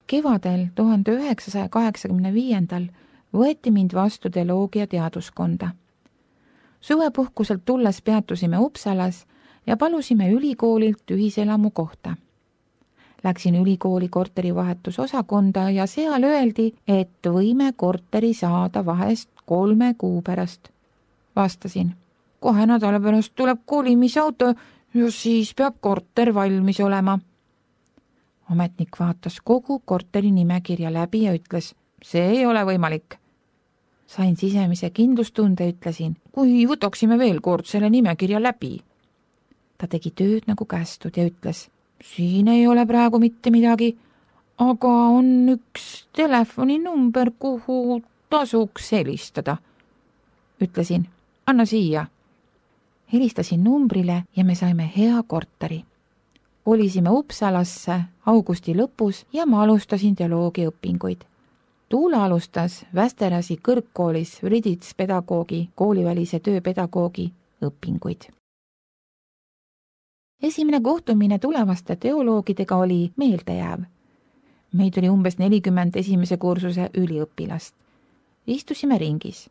Kevadel 1985 võeti mind vastu teoloogia teaduskonda. Suvepuhkuselt tulles peatusime Uppsalas ja palusime ülikoolilt ühiselamu kohta. Läksin ülikooli korterivahetusosakonda ja seal öeldi, et võime korteri saada vahest 3 kuu pärast. Vastasin, kohe nädala pärast tuleb kolimisauto ja siis peab korter valmis olema. Ametnik vaatas kogu korteri nimekirja läbi ja ütles, see ei ole võimalik. Sain sisemise kindlustunde, ütlesin, kui võtaksime veel kord selle nimekirja läbi. Ta tegi tööd nagu kästud ja ütles, siin ei ole praegu mitte midagi, aga on üks telefoninumber, kuhu tasuks helistada. Ütlesin, anna siia. Helistasin numbrile ja me saime hea korteri. Olisime Uppsalasse augusti lõpus ja ma alustasin teoloogia õpinguid. Tuula alustas Västerasi kõrgkoolis Vridits-pedagoogi, koolivälise tööpedagoogi õpinguid. Esimene kohtumine tulevaste teoloogidega oli meeldejääv. Meid oli umbes 40 esimese kursuse üliõpilast. Istusime ringis.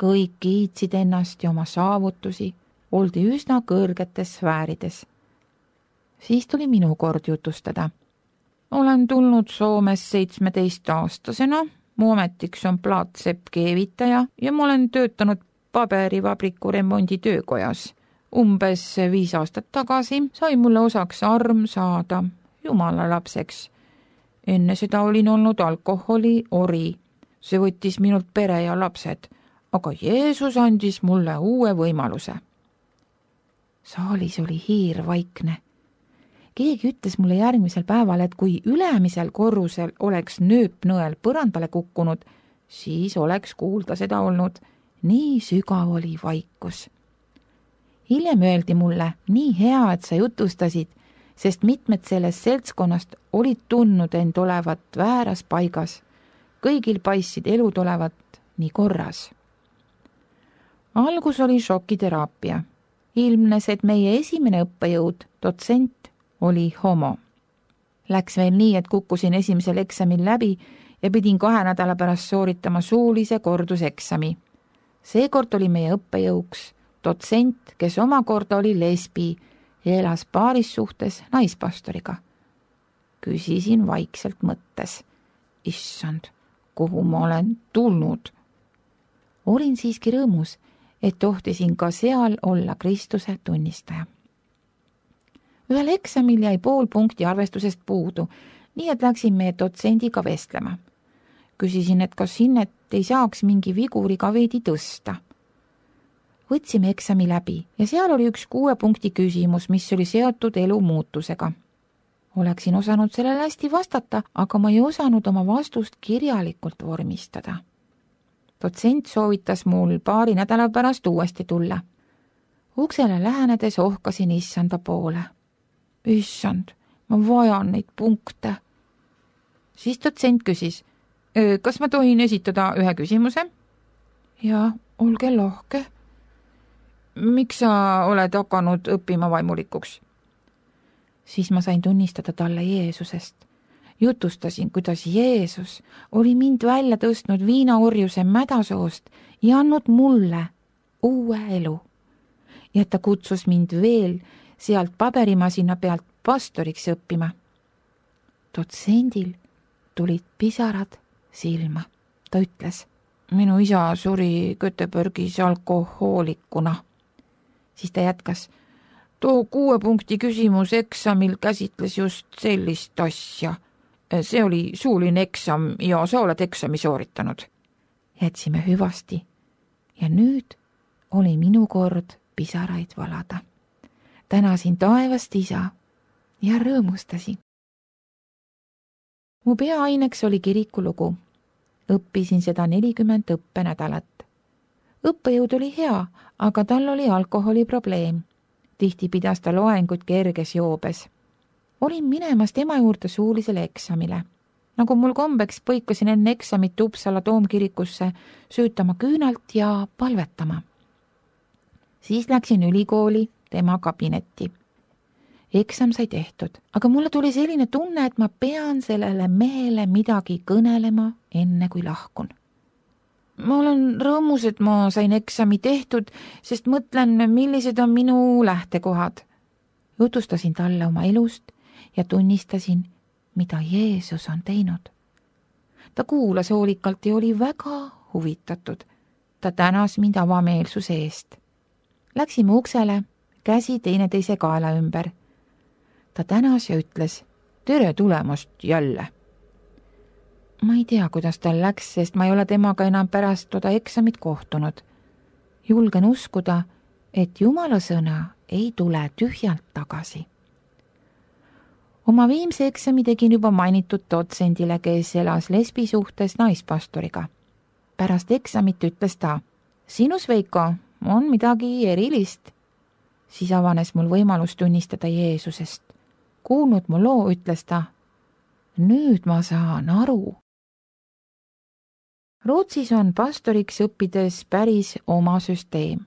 Kõik kiitsid ennast ja oma saavutusi, oldi üsna kõrgetes sfäärides. Siis tuli minu kord jutustada. Olen tulnud Soomes 17-aastasena, mu ametiks on plaatsepp-keevitaja ja ma olen töötanud paberivabriku remondi töökojas. Umbes 5 aastat tagasi sai mulle osaks arm saada Jumala lapseks. Enne seda olin olnud alkoholi ori. See võttis minult pere ja lapsed, aga Jeesus andis mulle uue võimaluse. Saalis oli hiir vaikne. Keegi ütles mulle järgmisel päeval, et kui ülemisel korrusel oleks nööpnõel põrandale kukkunud, siis oleks kuulda seda olnud. Nii sügav oli vaikus. Hiljem öeldi mulle, nii hea, et sa jutustasid, sest mitmed sellest seltskonnast olid tundnud end olevat vääras paigas. Kõigil paissid elud olevat nii korras. Algus oli šokiteraapia. Ilmnes, et meie esimene õppejõud, dotsent, oli homo. Läks veel nii, et kukkusin esimesel eksamil läbi ja pidin 2 nädala pärast sooritama suulise korduseksami. Seekord oli meie õppejõuks dotsent, kes omakorda oli lesbi ja elas paarissuhtes naispastoriga. Küsisin vaikselt mõttes. Issand, kuhu ma olen tulnud? Olin siiski rõõmus, et tohtisin ka seal olla Kristuse tunnistaja. Ühel eksamil jäi 0,5 punkti arvestusest puudu, nii et läksin meie dotsendiga vestlema. Küsisin, et kas hinnet ei saaks mingi viguriga veidi tõsta. Võtsime eksami läbi ja seal oli üks 6 punkti küsimus, mis oli seotud elu muutusega. Oleksin osanud sellele hästi vastata, aga ma ei osanud oma vastust kirjalikult vormistada. Dotsent soovitas mul 2 nädala pärast uuesti tulla. Uksele lähenedes ohkasin issanda poole. Issand, ma vajan neid punkte. Siis dotsent küsis, kas ma tohin esitada ühe küsimuse? Ja, olge lahke. Miks sa oled hakanud õppima vaimulikuks? Siis ma sain tunnistada talle Jeesusest. Jutustasin, kuidas Jeesus oli mind välja tõstnud viinaorjuse mädasoost ja andnud mulle uue elu. Ja ta kutsus mind veel sealt paberimasina pealt pastoriks õppima. Dotsendil tulid pisarad silma. Ta ütles, minu isa suri Göteborgis alkohoolikuna. Siis ta jätkas, too 6 punkti küsimus eksamil käsitles just sellist asja. See oli suuline eksam ja sa oled eksami sooritanud. Jätsime hüvasti ja nüüd oli minu kord pisaraid valada. Tänasin taevast isa ja rõõmustasin. Mu peaaineks oli kirikulugu. Õppisin seda 40 õppenädalat. Õppejõud oli hea, aga tal oli alkoholiprobleem. Tihti pidas ta loenguid kerges joobes. Olin minemas tema juurde suulisele eksamile. Nagu mul kombeks, põikasin enne eksamit Uppsala toomkirikusse süütama küünalt ja palvetama. Siis läksin ülikooli tema kabinetti. Eksam sai tehtud, aga mulle tuli selline tunne, et ma pean sellele mehele midagi kõnelema, enne kui lahkun. Ma olen rõõmus, et ma sain eksami tehtud, sest mõtlen, millised on minu lähtekohad. Jutustasin talle oma elust ja tunnistasin, mida Jeesus on teinud. Ta kuulas hoolikalt ja oli väga huvitatud. Ta tänas mind avameelsuse eest. Läksime uksele, käsi teineteise kaela ümber. Ta tänas ja ütles, tere tulemast jälle. Ma ei tea, kuidas tal läks, sest ma ei ole temaga enam pärast toda eksamit kohtunud. Julgen uskuda, et Jumala sõna ei tule tühjalt tagasi. Oma viimse eksami tegin juba mainitud dotsendile, kes elas lesbi suhtes naispastoriga. Pärast eksamit ütles ta, sinus, Veiko, on midagi erilist. Siis avanes mul võimalus tunnistada Jeesusest. Kuulnud mu loo, ütles ta, nüüd ma saan aru. Rootsis on pastoriks õppides päris oma süsteem.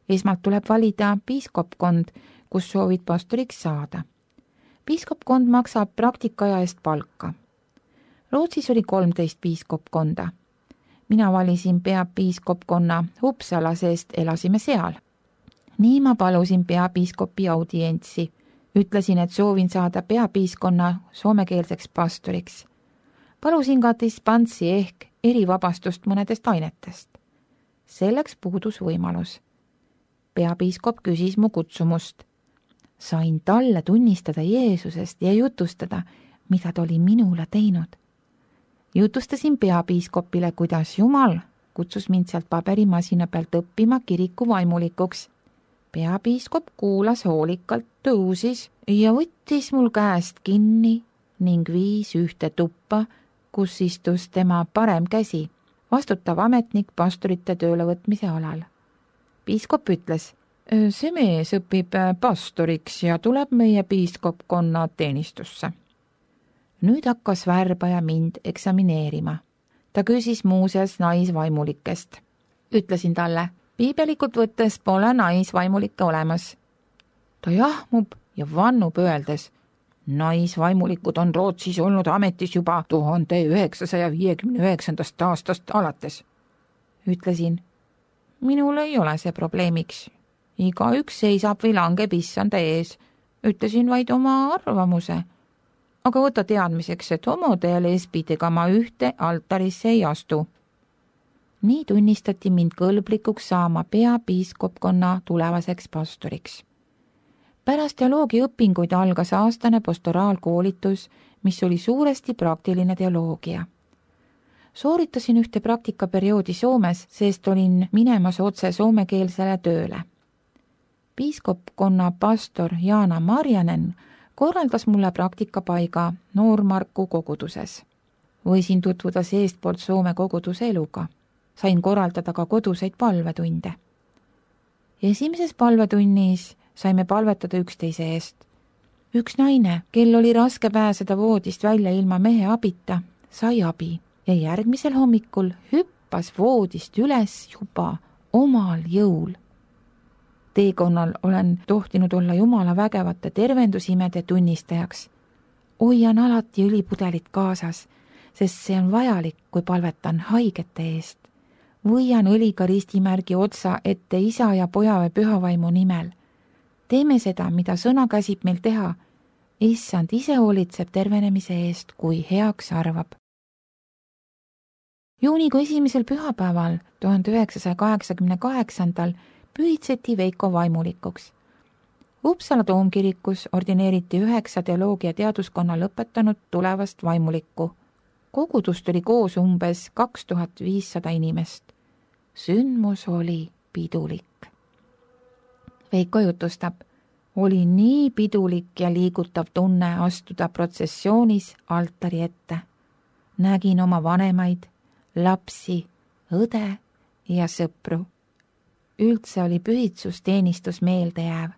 Esmalt tuleb valida piiskopkond, kus soovid pastoriks saada. Piiskopkond maksab praktikaja eest palka. Rootsis oli 13 piiskopkonda. Mina valisin peapiiskopkonna Uppsala, sest elasime seal. Nii ma palusin peapiiskopi audientsi. Ütlesin, et soovin saada peapiiskonna soomekeelseks pastoriks. Palusin ka dispantsi ehk erivabastust mõnedest ainetest. Selleks puudus võimalus. Peapiiskop küsis mu kutsumust. Sain talle tunnistada Jeesusest ja jutustada, mida ta oli minule teinud. Jutustasin peapiiskopile, kuidas Jumal kutsus mind sealt paberimasina pealt õppima kiriku vaimulikuks. Peapiiskop kuulas hoolikalt, tõusis ja võttis mul käest kinni ning viis ühte tuppa, kus istus tema parem käsi, vastutav ametnik pastorite töölevõtmise alal. Piiskop ütles, see mees õpib pastoriks ja tuleb meie piiskopkonna teenistusse. Nüüd hakkas värbaja mind eksamineerima. Ta küsis muuseas naisvaimulikest. Ütlesin talle, piibelikult võttes pole naisvaimulikke olemas. Ta jahmub ja vannub öeldes, naisvaimulikud on Rootsis olnud ametis juba 1959. aastast alates. Ütlesin, minul ei ole see probleemiks. Igaüks seisab või langeb issanda ees. Ütlesin vaid oma arvamuse. Aga võta teadmiseks, et homode ja lesbidega ma ühte altarisse ei astu. Nii tunnistati mind kõlblikuks saama peapiiskopkonna tulevaseks pastoriks. Pärast teoloogiaõpinguid algas aastane pastoraalkoolitus, mis oli suuresti praktiline teoloogia. Sooritasin ühte praktikaperioodi Soomes, sest olin minemas otse soomekeelsele tööle. Piiskopkonna pastor Jaana Marjanen korraldas mulle praktikapaiga Noormarku koguduses. Võisin tutvuda seestpoolt Soome koguduse eluga. Sain korraldada ka koduseid palvetunde. Esimeses palvetunnis saime palvetada üksteise eest. Üks naine, kel oli raske pääseda voodist välja ilma mehe abita, sai abi ja järgmisel hommikul hüppas voodist üles juba omal jõul. Teekonnal olen tohtinud olla Jumala vägevate tervendusimede tunnistajaks. Hoian alati õlipudelit kaasas, sest see on vajalik, kui palvetan haigete eest. Võian õliga ristimärgi otsa ette isa ja poja või pühavaimu nimel. Teeme seda, mida sõna käsib meil teha. Issand ise hoolitseb tervenemise eest, kui heaks arvab. Juunikuu esimesel pühapäeval 1988. pühitseti Veiko vaimulikuks. Uppsala toomkirikus ordineeriti 9 teoloogia teaduskonna lõpetanud tulevast vaimulikku. Kogudust oli koos umbes 2500 inimest. Sündmus oli pidulik. Veiko jutustab, oli nii pidulik ja liigutav tunne astuda protsessioonis altari ette. Nägin oma vanemaid, lapsi, õde ja sõpru. Üldse oli pühitsusteenistus meeldejääv.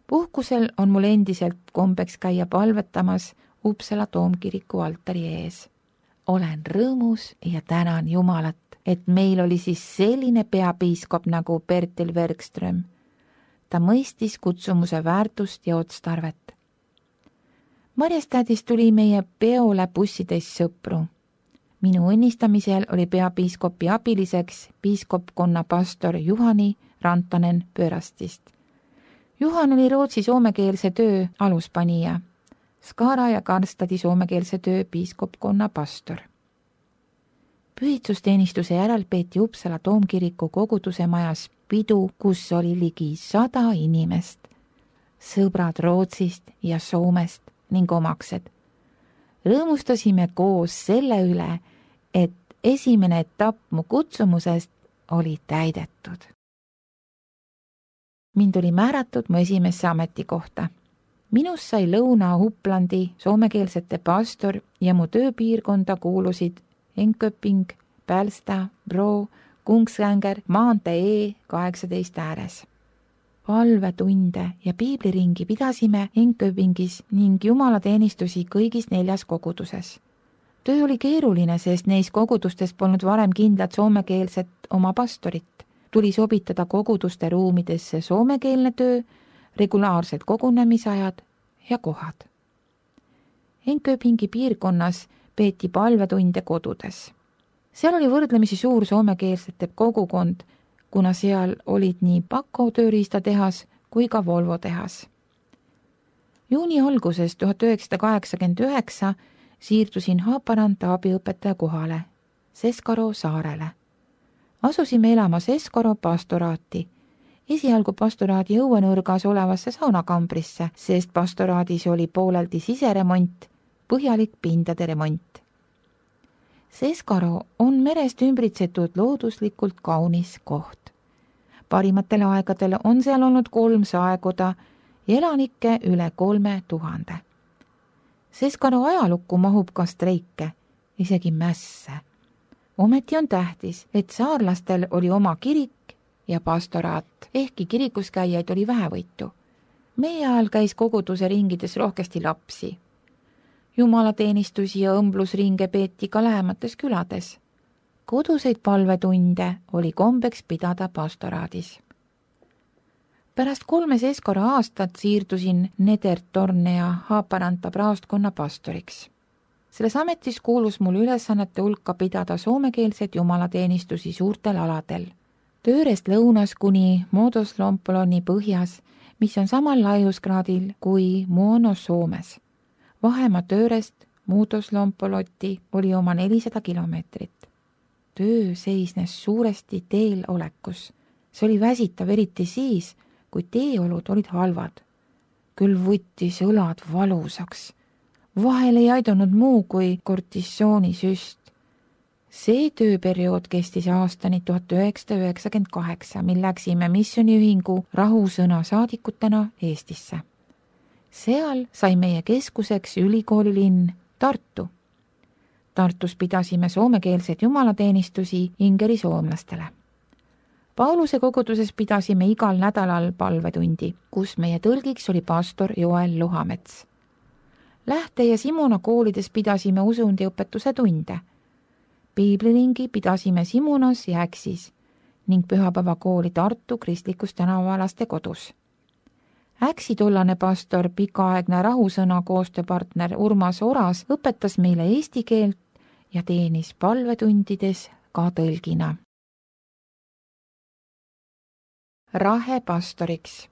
Puhkusel on mul endiselt kombeks käia palvetamas Uppsala toomkiriku altari ees. Olen rõõmus ja tänan Jumalat, et meil oli siis selline peapiiskop nagu Bertil Werkström. ta mõistis kutsumuse väärtust ja otstarvet. Marjastädist tuli meie peole bussitäis sõpru. Minu õnnistamisel oli peapiiskopi abiliseks piiskopkonna pastor Juhani Rantanen Pöörastist. Juhan oli Rootsi soomekeelse töö aluspanija, Skara ja Karstadi soomekeelse töö piiskopkonna pastor. Pühitsusteenistuse järel peeti Uppsala toomkiriku koguduse majas pidu, kus oli ligi 100 inimest, sõbrad Rootsist ja Soomest ning omaksed. Rõõmustasime koos selle üle, et esimene etapp mu kutsumusest oli täidetud. Mind oli määratud mu esimesse ametikohta. Minust sai Lõuna-Uplandi soomekeelsete pastor ja mu tööpiirkonda kuulusid Enköping, Pälsta, Bro, Kungsängar, maantee E18 ääres. Palvetunde ja piibliringi pidasime Enköpingis ning jumalateenistusi kõigis 4 koguduses. Töö oli keeruline, sest neis kogudustes polnud varem kindlat soomekeelset oma pastorit. Tuli sobitada koguduste ruumidesse soomekeelne töö, regulaarsed kogunemisajad ja kohad. Enköpingi piirkonnas peeti palvetunde kodudes. Seal oli võrdlemisi suur soomekeelsete kogukond, kuna seal olid nii Pako tööriistatehas kui ka Volvo tehas. Juuni alguses 1989 siirdusin Haaparanta abiõpetaja kohale, Seskaro saarele. Asusime elama Seskaro pastoraati, esialgu pastoraadi õuenurgas olevasse saunakambrisse, sest pastoraadis oli pooleldi siseremont, põhjalik pindade remont. Seskaro on merest ümbritsetud looduslikult kaunis koht. Parimatel aegadel on seal olnud 3 saekoda ja elanikke üle 3000. Seskaro ajalukku mahub ka streike, isegi mässe. Ometi on tähtis, et saarlastel oli oma kirik ja pastoraat, ehkki kirikus käijaid oli vähevõitu. Meie ajal käis koguduse ringides rohkesti lapsi. Jumalateenistusi ja õmblusringe peeti ka lähemates külades. Koduseid palvetunde oli kombeks pidada pastoraadis. Pärast 3 Seskaro aastat siirdusin Nedertornea Haaparanta praostkonna pastoriks. Selles ametis kuulus mul ülesannete hulka pidada soomekeelseid jumalateenistusi suurtel aladel. Tööres lõunas kuni Muodoslompoloni põhjas, mis on samal laiuskraadil kui Muono Soomes. Vahemaa Töörest Muodoslompoloti oli oma 400 kilomeetrit. Töö seisnes suuresti teel olekus. See oli väsitav eriti siis, kui teeolud olid halvad. Küll võttis õlad valusaks. Vahel ei aidanud muu kui kortisoonisüst. See tööperiood kestis aastani 1998, mil läksime missiooniühingu rahusõna saadikutena Eestisse. Seal sai meie keskuseks ülikoolilinn Tartu. Tartus pidasime soomekeelseid jumalateenistusi ingeri soomlastele. Pauluse koguduses pidasime igal nädalal palvetundi, kus meie tõlgiks oli pastor Joel Luhamets. Lähte- ja Simuna koolides pidasime usundiõpetuse tunde. Piibliringi pidasime Simunas ja Äksis ning pühapäevakooli Tartu kristlikus tänavalaste kodus. Äksi tollane pastor, pikaaegne rahusõna koostööpartner Urmas Oras õpetas meile eesti keelt ja teenis palvetundides ka tõlgina. Rahe pastoriks.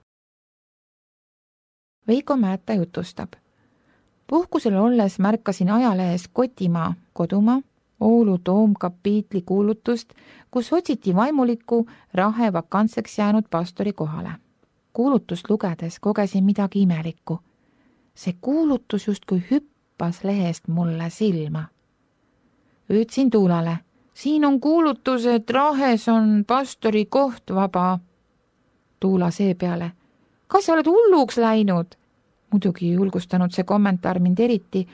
Veiko Määta jutustab. Puhkusel olles märkasin ajalehes Kotimaa, kodumaa, Oulu toomkapiitli kuulutust, kus otsiti vaimulikku Rahe vakantseks jäänud pastori kohale. Kuulutust lugedes kogesin midagi imelikku. See kuulutus justkui hüppas lehest mulle silma. Ütlesin Tuulale, siin on kuulutus, et Rahes on pastori koht vaba. Tuula seepeale, kas sa oled hulluks läinud? Muidugi ei julgustanud see kommentaar mind eriti,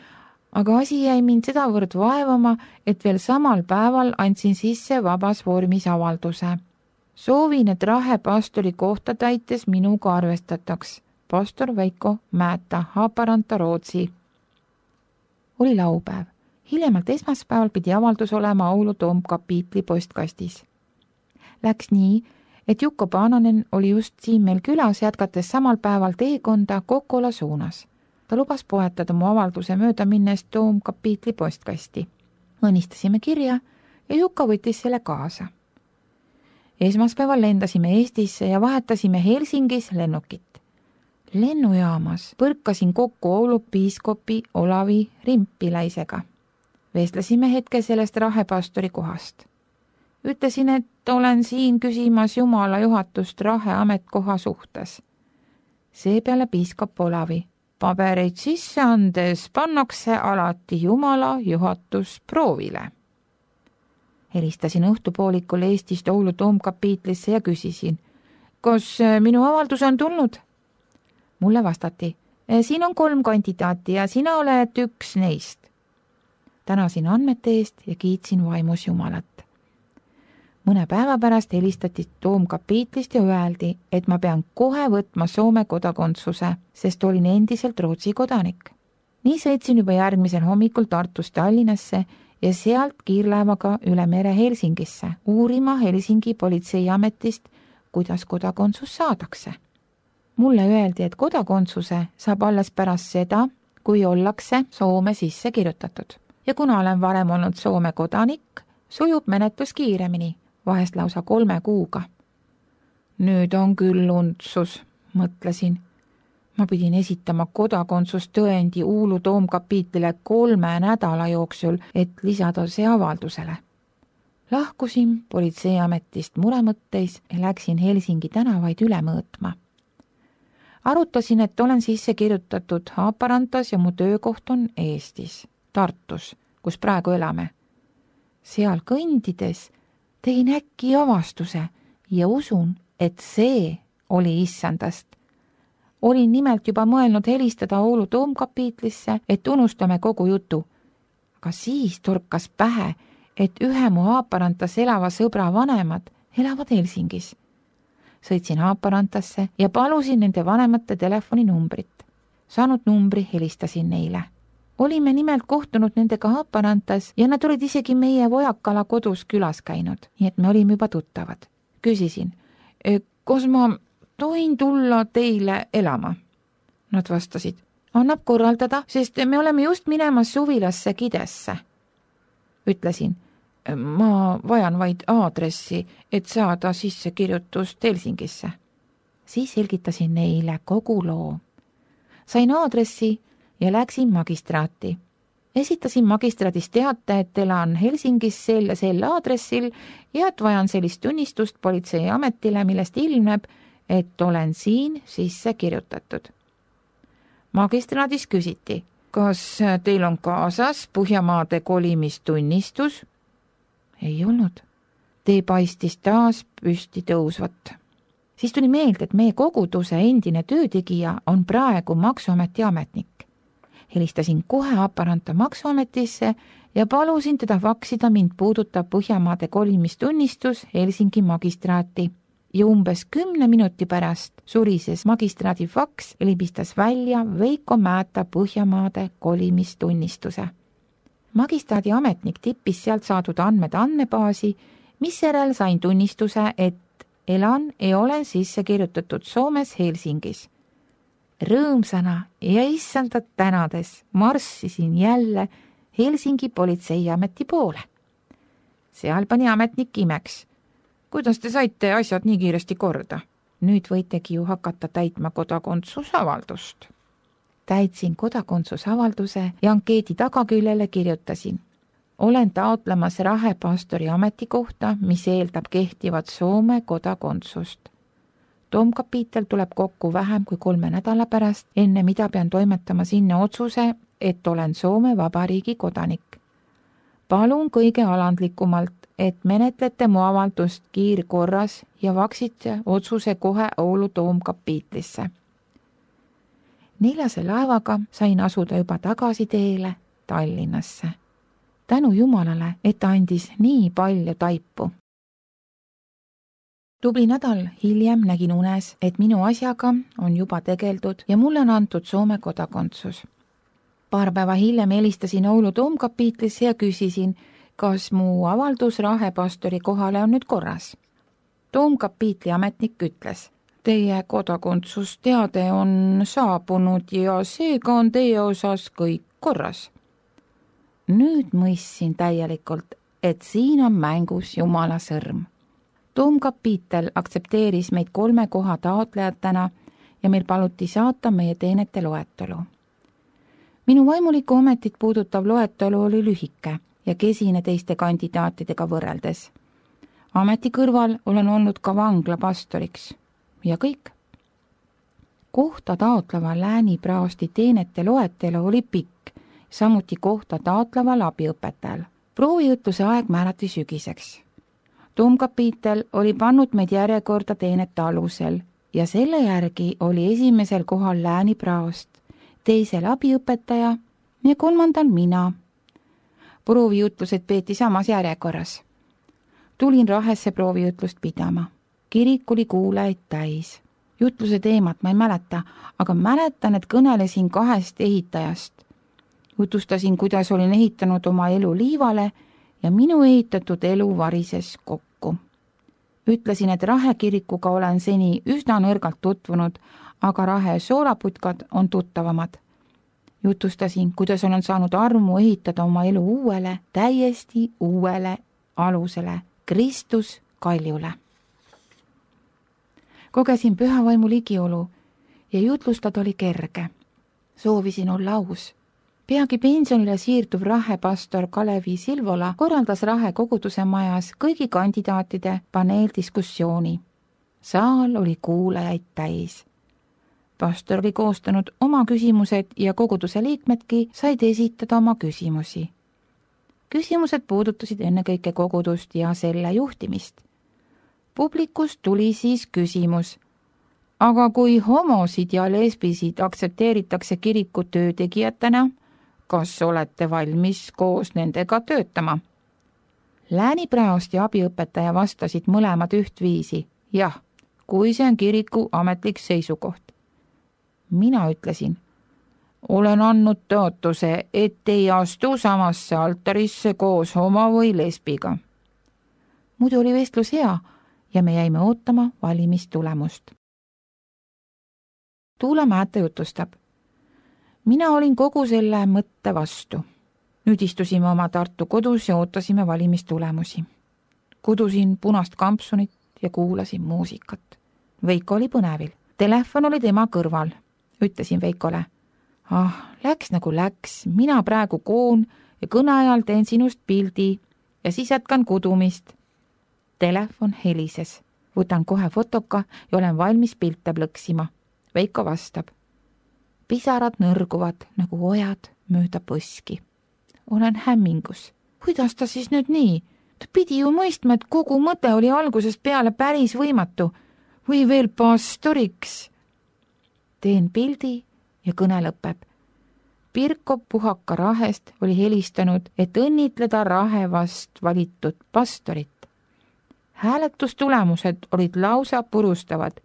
aga asi jäi mind sedavõrd vaevama, et veel samal päeval andsin sisse vabas vormis avalduse. Soovin, et Rahe pastori kohta täites minuga arvestataks. Pastor Veiko Määta, Haaparanta, Rootsi. Oli laupäev. Hiljemalt esmaspäeval pidi avaldus olema Oulu toomkapiitli postkastis. Läks nii, et Jukko Paananen oli just siin meil külas, jätkates samal päeval teekonda Kokola suunas. Ta lubas poetada mu avalduse mööda minnes Toomkapiitli postkasti. Õnnistasime kirja ja Jukka võttis selle kaasa. Esmaspäeval lendasime Eestisse ja vahetasime Helsingis lennukit. Lennujaamas põrkasin kokku Oulu piiskopi Olavi Rimpiläisega. Vestlesime hetke sellest rahepastori kohast. Ütlesin, et olen siin küsimas Jumala juhatust rahe ametkoha suhtes. Seepeale piiskop Olavi: pabereid sisse andes pannakse alati Jumala juhatus proovile. Helistasin õhtupoolikul Eestist Oulu Toomkapiitlisse ja küsisin, kas minu avaldus on tulnud? Mulle vastati: siin on 3 kandidaati ja sina oled üks neist. Tänasin andmete eest ja kiitsin vaimus Jumalat. Mõne päeva pärast helistati Toomkapiitlist ja öeldi, et ma pean kohe võtma Soome kodakondsuse, sest olin endiselt Rootsi kodanik. Nii sõitsin juba järgmisel hommikul Tartust Tallinnasse ja sealt kiirlaevaga üle mere Helsingisse, uurima Helsingi politseiametist, kuidas kodakondsus saadakse. Mulle öeldi, et kodakondsuse saab alles pärast seda, kui ollakse Soome sisse kirjutatud. Ja kuna olen varem olnud Soome kodanik, sujub menetlus kiiremini, vahest lausa 3 kuuga. Nüüd on küll untsus, mõtlesin. Ma pidin esitama kodakondsustõendi Uulu Toomkapiitlile 3 nädala jooksul, et lisada see avaldusele. Lahkusin politseiametist muremõtteis ja läksin Helsingi tänavaid üle mõõtma. Arutasin, et olen sisse kirjutatud Haaparantas ja mu töökoht on Eestis, Tartus, kus praegu elame. Seal kõndides tegin äkki avastuse ja usun, et see oli issandast. Olin nimelt juba mõelnud helistada Oulu Toomkapiitlisse, et unustame kogu jutu. Aga siis torkas pähe, et ühe mu Haaparantas elava sõbra vanemad elavad Helsingis. Sõitsin Haaparantasse ja palusin nende vanemate telefoninumbrit. Saanud numbri helistasin neile. Olime nimelt kohtunud nendega Haaparantas ja nad olid isegi meie Vojakala kodus külas käinud, nii et me olime juba tuttavad. Küsisin, kas ma tohin tulla teile elama? Nad vastasid, annab korraldada, sest me oleme just minemas suvilasse Kidesse. Ütlesin, ma vajan vaid aadressi, et saada sissekirjutust Helsingisse. Siis selgitasin neile kogu loo. Sain aadressi ja läksin magistraati. Esitasin magistraadis teate, et elan Helsingis sel aadressil ja et vajan sellist tunnistust politseiametile, millest ilmneb, et olen siin sisse kirjutatud. Magistraadis küsiti, kas teil on kaasas Põhjamaade kolimistunnistus? Ei olnud. Tee paistis taas püsti tõusvat. Siis tuli meelde, et meie koguduse endine töötegija on praegu Maksuameti ametnik. Helistasin kohe Haaparanta Maksuametisse ja palusin teda faksida mind puudutav Põhjamaade kolimistunnistus Helsingi magistraati. Ja umbes 10 minuti pärast surises magistraadi faks ja libistas välja Veiko Määta Põhjamaade kolimistunnistuse. Magistraadi ametnik tippis sealt saadud andmed andmebaasi, misjärel sain tunnistuse, et elan ja olen sisse kirjutatud Soomes Helsingis. Rõõmsana ja issandat tänades marssisin jälle Helsingi politseiameti poole. Seal pani ametnik imeks. Kuidas te saite asjad nii kiiresti korda? Nüüd võitegi ju hakata täitma kodakondsusavaldust. Täitsin kodakondsusavalduse ja ankeedi tagaküljele kirjutasin. Olen taotlemas rahepastori ametikohta, mis eeldab kehtivat Soome kodakondsust. Toomkapiitel tuleb kokku vähem kui 3 nädala pärast, enne mida pean toimetama sinna otsuse, et olen Soome Vabariigi kodanik. Palun kõige alandlikumalt, et menetlete mu avaldust kiirkorras ja vaksite otsuse kohe Oulu Toomkapiitlisse. 4. laevaga sain asuda juba tagasi teele Tallinnasse. Tänu Jumalale, et ta andis nii palju taipu. Tubli nädal hiljem nägin unes, et minu asjaga on juba tegeldud ja mulle on antud Soome kodakondsus. Paar päeva hiljem helistasin Oulu Toomkapiitlisse ja küsisin, kas mu avaldus rahepastori kohale on nüüd korras. Toomkapiitli ametnik ütles: teie kodakondsusteade on saabunud ja seega on teie osas kõik korras. Nüüd mõistsin täielikult, et siin on mängus Jumala sõrm. Toomkapiitel aktsepteeris meid 3 koha taotlejatena ja meil paluti saata meie teenete loetelu. Minu vaimulikku ametit puudutav loetelu oli lühike ja kesine teiste kandidaatidega võrreldes. Ameti kõrval olen olnud ka vanglapastoriks ja kõik. Kohta taotleva Lääni-Praosti teenete loetelu oli pikk, samuti kohta taotleval abiõpetajal. Proovijutluse aeg määrati sügiseks. Toomkapiitel oli pannud meid järjekorda teenete alusel ja selle järgi oli esimesel kohal Lääni-Praost, teisel abiõpetaja ja 3. mina. Proovijutlused peeti samas järjekorras. Tulin Rahesse proovijutlust pidama. Kirik oli kuulajaid täis. Jutluse teemat ma ei mäleta, aga mäletan, et kõnelesin 2 ehitajast. Jutustasin, kuidas olin ehitanud oma elu liivale ja minu ehitatud elu varises kokku. Ütlesin, et Rahe kirikuga olen seni üsna nõrgalt tutvunud, aga Rahe soolaputkad on tuttavamad. Jutustasin, kuidas olen saanud armu ehitada oma elu uuele, täiesti uuele alusele, Kristus kaljule. Kogesin pühavaimu ligiolu ja jutlustada oli kerge. Soovisin olla aus. Peagi pensionile siirduv Rahe pastor Kalevi Silvola korraldas Rahe koguduse majas kõigi kandidaatide paneeldiskussiooni. Saal oli kuulajaid täis. Pastor oli koostanud oma küsimused ja koguduse liikmedki said esitada oma küsimusi. Küsimused puudutasid ennekõike kogudust ja selle juhtimist. Publikust tuli siis küsimus: aga kui homosid ja lesbisid aktsepteeritakse kiriku töötegijatena, kas olete valmis koos nendega töötama? Lääni-Praost ja abiõpetaja vastasid mõlemad ühtviisi: jah, kui see on kiriku ametlik seisukoht. Mina ütlesin: olen andnud tõotuse, et ei astu samasse altarisse koos homo või lesbiga. Muidu oli vestlus hea ja me jäime ootama valimistulemust. Tuula Määte jutustab: mina olin kogu selle mõtte vastu. Nüüd istusime oma Tartu kodus ja ootasime valimistulemusi. Kudusin punast kampsunit ja kuulasin muusikat. Veiko oli põnevil. Telefon oli tema kõrval. Ütlesin Veikole: läks nagu läks, mina praegu koon ja kõne ajal teen sinust pildi ja siis jätkan kudumist. Telefon helises. Võtan kohe fotoka ja olen valmis pilte plõksima. Veiko vastab: pisarad nõrguvad nagu ojad mööda põski. Olen hämmingus. Kuidas ta siis nüüd nii? Ta pidi ju mõistma, et kogu mõte oli algusest peale päris võimatu. Või veel pastoriks. Teen pildi ja kõne lõpeb. Pirko Puhaka Rahest oli helistanud, et õnnitleda Rahe vast valitud pastorit. Hääletustulemused olid lausa purustavad.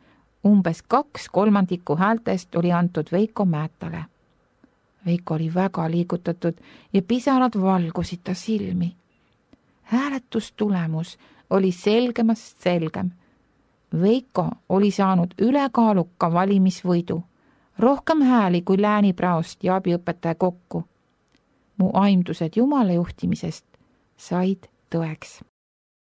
Umbes 2/3 häältest oli antud Veiko Määtale. Veiko oli väga liigutatud ja pisarad valgusid ta silmi. Hääletustulemus oli selgemast selgem. Veiko oli saanud ülekaaluka valimisvõidu, rohkem hääli kui Lääni-Praost ja abiõpetaja kokku. Mu aimdused Jumala juhtimisest said tõeks.